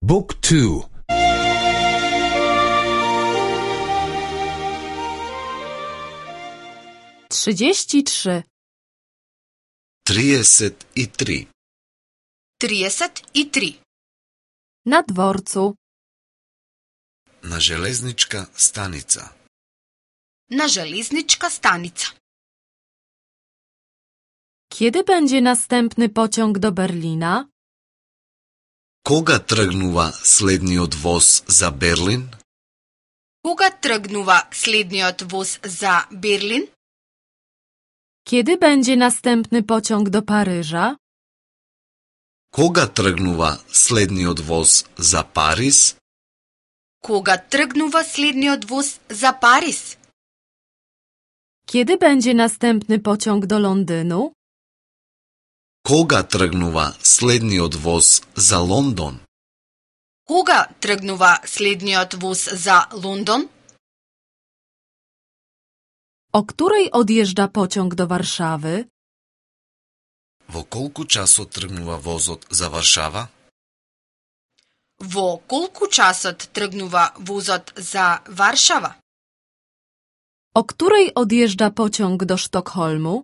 Book 2. 33. 33. 33. Na dworcu. Na železnička stanica. Na železnička stanica. Kiedy będzie następny pociąg do Berlina? Кога тргнува следниот воз за Берлин? Кога тргнува следниот воз за Берлин? Kiedy będzie następny pociąg do Paryża? Кога тргнува следниот воз за Париз? Кога тргнува следниот воз за Париз? Kiedy będzie następny pociąg do Londynu? Кога тргнува следниот воз за Лондон? Кога тргнува следниот воз за Лондон? O której odjeżdża pociąg do Warszawy? Во колку часот тргнува возот за Варшава? Во колку часот тргнува возот за Варшава? O której odjeżdża pociąg do Sztokholmu?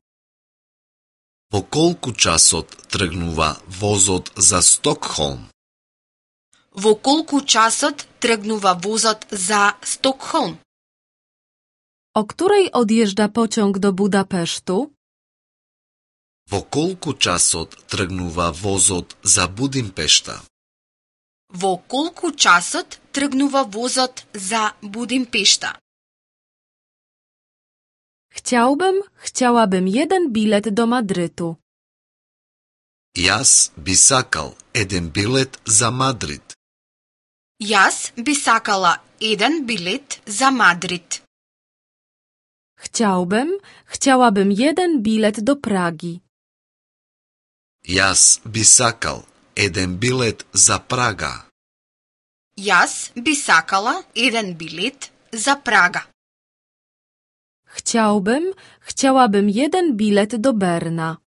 Во колку часот тргнува возот за Стокхолм? Во колку часот тргнува возот за Стокхолм? O której odjeżdża pociąg do Budapesztu? Во колку часот тргнува возот за Будимпешта? Во колку часот тргнува возот за Будимпешта? Chciałabym jeden bilet do Madrytu. Јас би сакал еден билет за Мадрид. Јас би сакала еден билет за Мадрид. Chciałabym jeden bilet do Pragi. Јас би сакал еден билет за Прага. Јас би сакала еден билет за Прага. Chciałabym jeden bilet do Berna.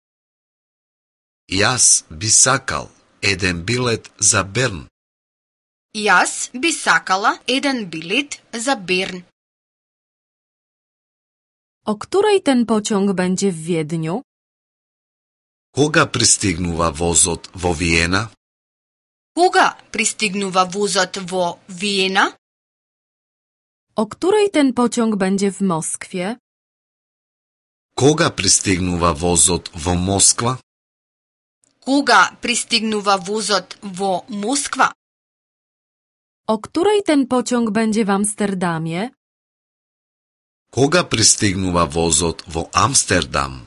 Јас би сакал еден билет за Берн. Јас би сакала еден билет за Берн. O której ten pociąg będzie w Wiedniu? Кога пристигнува возот во Виена? Кога пристигнува возот во Виена? O której ten pociąg będzie w Moskwie? Кога пристигнува возот во Москва? Кога пристигнува возот во Москва? O której ten pociąg będzie w Amsterdamie? Кога пристигнува возот во Амстердам?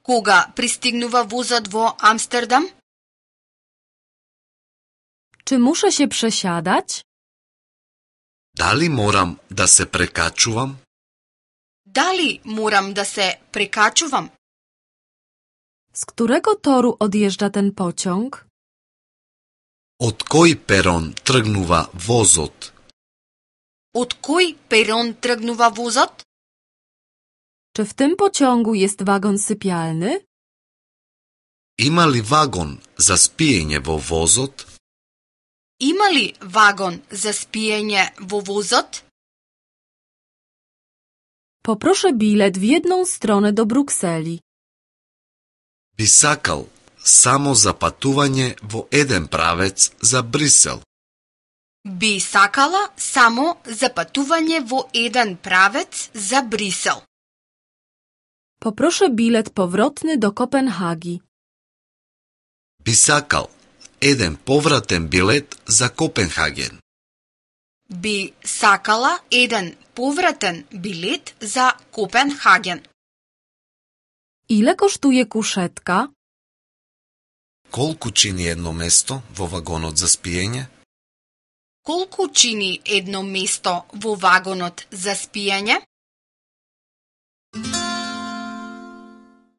Кога пристигнува возот во Амстердам? Czy muszę się przesiadać? Дали морам да се прекачувам? Дали морам да се прекачувам? Z którego toru odjeżdża ten pociąg? Од кој перон тргнува возот? Од кој перон тргнува возот? Czy w tym pociągu jest wagon sypialny? Има ли вагон за спиење во возот? Има ли вагон за спиење во возот? Poproszę bilet w jedną stronę do Brukseli. Би сакал само за патување во еден правец за Брисел. Би сакала само за патување во еден правец за Брисел. Poproszę bilet powrotny do Kopenhagi. Би сакал еден повратен билет за Копенхаген. Би сакала еден повратен билет за Копенхаген. Ile kosztuje kuszetka? Колку чини едно место во вагонот за спиење? Колку чини едно место во вагонот за спиење?